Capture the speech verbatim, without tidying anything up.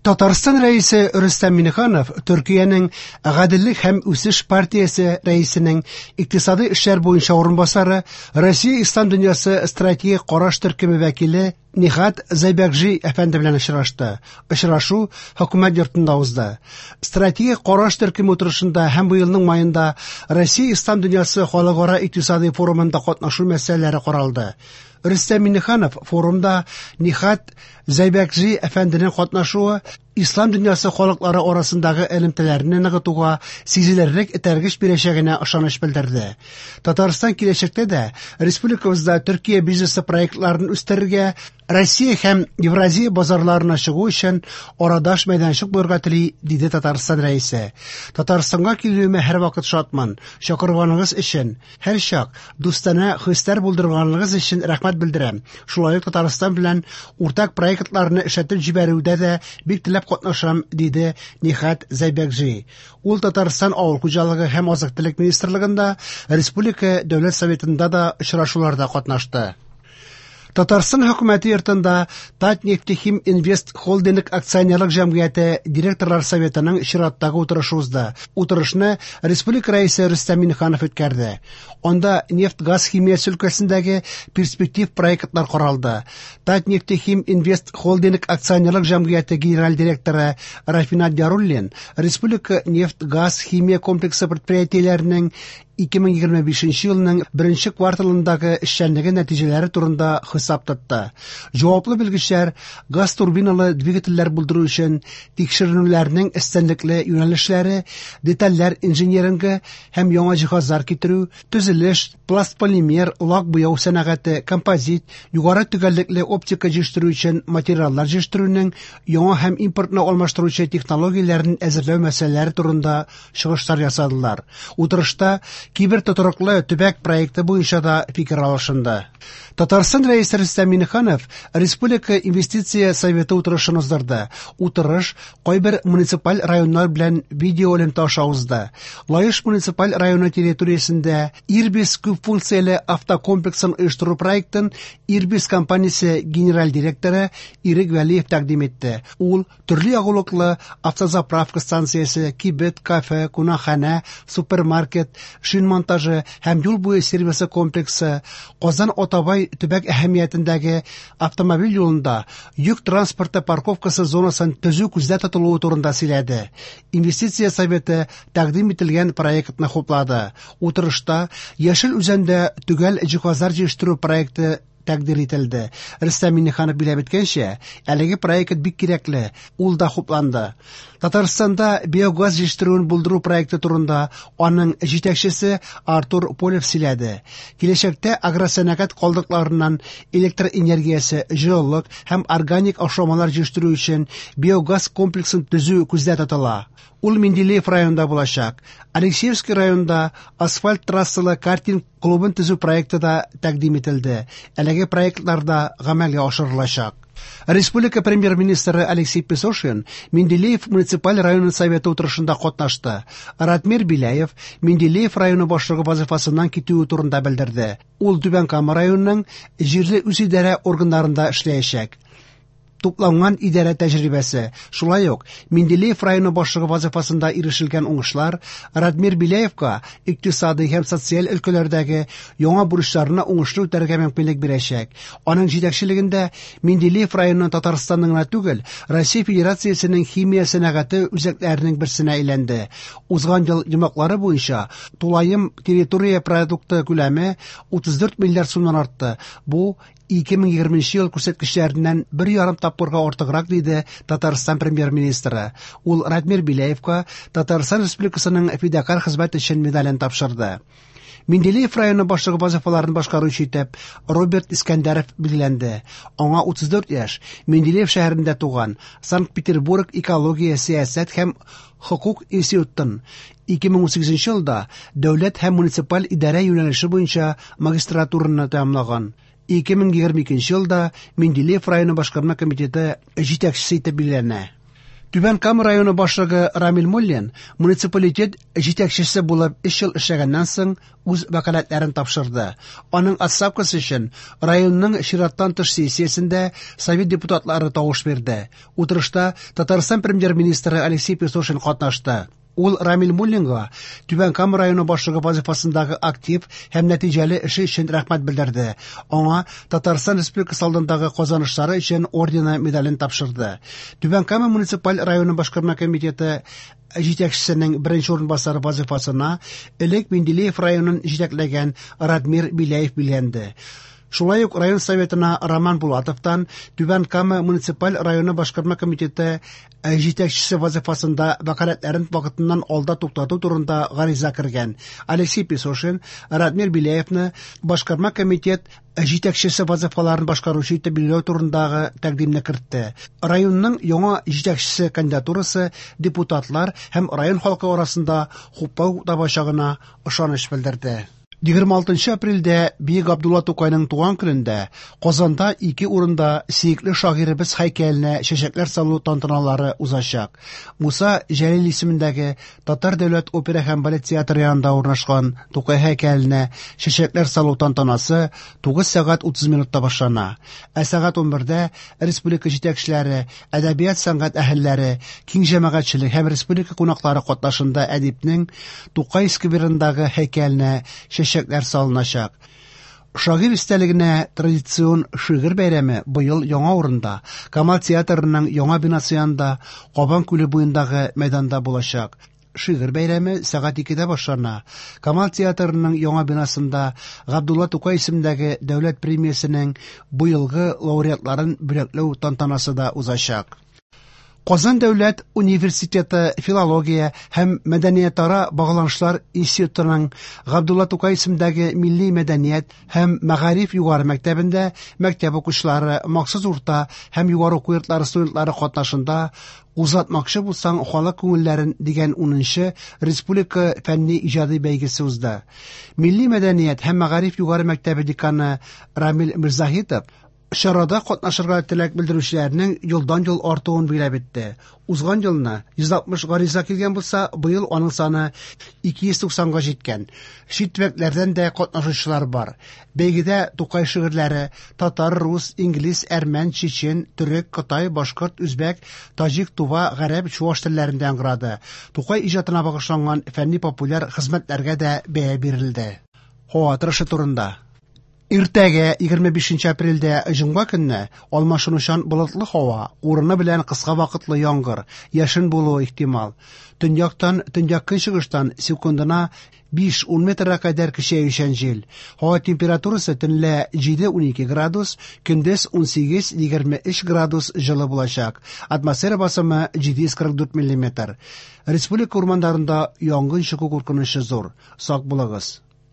Татарстан Рәисе Рөстәм Миңнеханов Төркиянең Гаделлек һәм үсеш партиясе рәисенең икътисади эшләр буенча урынбасары, Россия Ислам дөньясы стратегик караш төркеме вәкиле Нихат Зәйбәкҗи әфәнде белән очрашты. Очрашу хөкүмәт йортында узды. Стратегик караш төркеме утырышында һәм быелның маенда Россия Ислам дөньясы халыкара икътисади форумында катнашу мәсьәләләре каралды. Рөстәм Миңнеханов форумда Нихат Зәйбәкҗи әфәнденең катнашуы ислам дөньясы халыклары арасындагы элемтәләрне ныгытуга сизелерлек этәргеч бирәчәгенә ышаныч белдерде. Татарстан киләчәктә дә республикабызда Төркия бизнесы проектларын үстерергә, Россия һәм Евразия базарларына чыгу өчен арадаш мәйданчык булырга тели, диде Татарстан Рәисе. Татарстанга килүемә һәрвакыт шатмын. Чакырганыгыз өчен, һәрчак дустанә хисләр булдырганыгыз өчен рәхмәт белдерәм. Шулай ук Татарстан белән уртак проектларны эшләтеп җибәрүдә дә бик теләп катнашам, диде Нихат Зәйбәкҗи. Ул Татарстан Авыл хуҗалыгы һәм азык-төлек министрлыгында, Республика Дәүләт Советында да очрашуларда катнашты. Татарстан хөкүмәте йортында Татнефтехим Инвест Холдинг акционерлык җәмгыяте директорлар советының чираттагы утырышы узды. Утырышны республика рәисе Рөстәм Миңнеханов үткәрде. Анда нефть-газ химиясе өлкәсендәге перспектив проектлар каралды. Татнефтехим Инвест Холдинг акционерлык җәмгыяте генераль директоры Рафинат Яруллин республика нефть-газ химия комплексы предприятиеләренең ике мең егерме бишенче елның беренче кварталындагы эшчәнлеге нәтиҗәләре турында хисап тотты. Җаваплы белгечләр газ турбиналы двигательләр булдыру өчен тикшеренүләрнең өстенлекле юнәлешләре, детальләр инжинирынгы һәм яңа җиһазлар китерү, төзелеш, пластполимер, лак буяу сәнәгате, композит, югары төгәллекле оптика җитештерү өчен материаллар җитештерүнең яңа һәм импортны алмаштыручы технологияләрен әзерләү мәсьәләләре турында чыгышлар ясадылар. Утырышта кибер тотрыклы төбәк проекты буенча да фикер алышынды. Татарстан Рәисе Рөстәм Миңнеханов Республика инвестиция советы утырышын уздырды. Утырыш кайбер муниципаль районнар белән видео элемтә аша узды. Лаеш муниципаль районы территориясендә Ирбис күп функцияле автокомплексын оештыру проектын Ирбис компаниясе генераль директоры Ирек Вәлиев тәкъдим итте. Ул төрле ягулыклы автозаправка станциясе, кибет, кафе, кунакханә, супермаркет, шин монтажы һәм юл буе сервисы комплексы, Казан Атабай төбәк әһәмиятендәге автомобиль юлында йөк транспорты парковкасы зонасын төзү күздә тотылуы турында сөйләде. Инвестиция советы тәкъдим ителгән проектны хуплады. Утырышта Яшел Үзәндә төгәл җиһазлар җитештерү проекты тәкъдир ителде. Рөстәм Миңнеханов билгеләп үткәнчә, әлеге проект бик кирәкле, ул да хупланды. Татарстанда биогаз җитештерүен булдыру проекты турында аның җитәкчесе Артур Полев сөйләде. Киләчәктә агросәнәгать калдыкларыннан электр энергиясе, җылылык һәм органик ашламалар җитештерү өчен биогаз комплексын төзү күздә тотыла. Ул Менделеев районында булачак. Алексеевский районында асфальт трассалы картинг клубын төзү проекты да тәкъдим ителде. Әлеге проектлар да гамәлгә ашырылачак. Республика премьер-министры Алексей Песошин Менделеев муниципаль районы советы утырышында катнашты. Ратмир Беляев Менделеев районы башлыгы вазифасыннан китүе турында белдерде. Ул Түбән Кама районының җирле үзидарә органнарында эшләячәк. Тупланган идарә тәҗрибәсе, шулай ук Менделеев районы башлыгы вазифасында ирешелгән уңышлар Радмир Беляевка икътисади һәм социаль өлкәләрдәге яңа бурычларны уңышлы үтәргә мөмкинлек бирәчәк. Аның җитәкчелегендә Менделеев районы Татарстанның гына түгел, Россия Федерациясенең химия сәнәгате үзәкләренең берсенә әйләнде. Узган ел йомгаклары буенча тулаем территория продукты күләме утыз дүрт миллиард сумнан артты. Бу ике мең егерменче ел күрсәткечләреннән бер ярым тапкырга артыграк, диде Татарстан премьер-министры. Ул Радмир Беляевка Татарстан Республикасының фидакарь хезмәт өчен медален тапшырды. Менделеев районы башлыгы вазифаларын башкаручы итеп Роберт Искәндәров билгеләнде. Аңа утыз дүрт яшь, Менделеев шәһәрендә туган, Санкт-Петербург экология, сәясәт һәм хокук институтын ике мең унсигезенче елда дәүләт һәм муниципаль идарә юнәлеше буенча магистратураны тәмамлаган. Ике мең егерме икенче елда Менделеев районы башкарма комитеты җитәкчесе итеп билгеләнә. Түбән Кама районы башлыгы Рамил Муллин муниципалитет җитәкчесе булып өч ел эшләгәннән соң үз вәкаләтләрен тапшырды. Аның отставкасы өчен районның чираттан тыш сессиясендә совет депутатлары тавыш бирде. Утырышта Татарстан премьер-министры Алексей Песошин катнашты. Ул Рамил Муллинга Түбән Кама районы башлыгы вазифасындагы актив һәм нәтиҗәле эше өчен рәхмәт белдерде. Аңа Татарстан Республикасы алдындагы казанышлары өчен ордены медален тапшырды. Түбән Кама муниципаль районы башкарма комитеты җитәкчесенең беренче урынбасары вазифасына элек Менделеев районын җитәкләгән Радмир Беляев билгеләнде. Шулай ук район советына Роман Булатовтан Түбән Кама муниципаль районы башкарма комитеты җитәкчесе вазифасында вәкаләтләрен вакытыннан алда туктату турында гариза кергән. Алексей Песошин Радмир Беляевны башкарма комитет җитәкчесе вазифаларын башкаручы итеп билгеләү турындагы тәкъдимне кертте. Районның яңа җитәкчесе кандидатурасы депутатлар һәм район халкы арасында хуплау табачагына ышаныч белдерде. егерме алтынчы апрельдә Бөек Габдулла Тукайның туган көнендә Казанда ике урында сөекле шагыйребез һәйкәленә чәчәкләр салу тантаналары узачак. Муса Җәлил исемендәге Татар дәүләт опера һәм балет театры янында урнашкан Тукай һәйкәленә чәчәкләр салу тантанасы тугыз сәгать утыз минутта башлана. Ә сәгать унбердә республика җитәкчеләре, әдәбият сәнгать әһелләре, киң җәмәгатьчелек һәм республика кунаклары катнашында әдипнең Тукай скверындагы һәйкәленә чәчәкләр салыначак. Шагыйрь истәлегенә традицион шигырь бәйрәме быел яңа урында, Камал театрының яңа бинасы янында, Кабан күле буендагы мәйданда булачак. Шигырь бәйрәме сәгать икедә башлана. Камал театрының яңа бинасында Габдулла Тукай исемендәге дәүләт премиясенең быелгы лауреатларын бүләкләү тантанасы да узачак. Казан дәүләт университеты филология һәм мәдәниятара багланышлар институтының Габдулла Тукай исемендәге милли мәдәният һәм мәгариф югары мәктәбендә мәктәп укучылары, махсус урта һәм югары уку йортлары студентлары катнашында Узатмакчы булсаң халык күңелләрен дигән унынчы республика фәнни иҗади бәйгесе узды. Милли мәдәният һәм мәгариф югары мәктәбе деканы Рамил Мирзаһитов чарада катнашырга теләк белдерүчеләрнең елдан-ел артуын билгеләп үтте. Узган елны йөз алтмыш гариза килгән булса, быел аның саны ике йөз туксанга җиткән. Чит төбәкләрдән дә катнашучылар бар. Бәйгедә Тукай шигырьләре татар, рус, инглиз, әрмән, чечен, төрек, кытай, башкорт, үзбәк, таҗик, тува, гарәп, чуаш телләрендә яңгырады. Тукай иҗатына багышланган фәнни популяр хезмәтләргә дә бәя бирелде. Һава торышы турында. Иртәгә егерме бишенче апрельдә җомга көнне алмашынучан болытлы һава, урыны белән кыска вакытлы яңгыр, яшен булуы ихтимал. Төньяктан, төньяк-көнчыгыштан секундына биш-ун метрга кадәр көчәючән җил. Һава температурасы төнлә җиде-унике градус, көндез унсигез-егерме өч градус җылы булачак. Атмосфера басымы җиде йөз кырык дүрт миллиметр. Республика урманнарында янгын чыгу куркынычы зур. Сак булыгыз.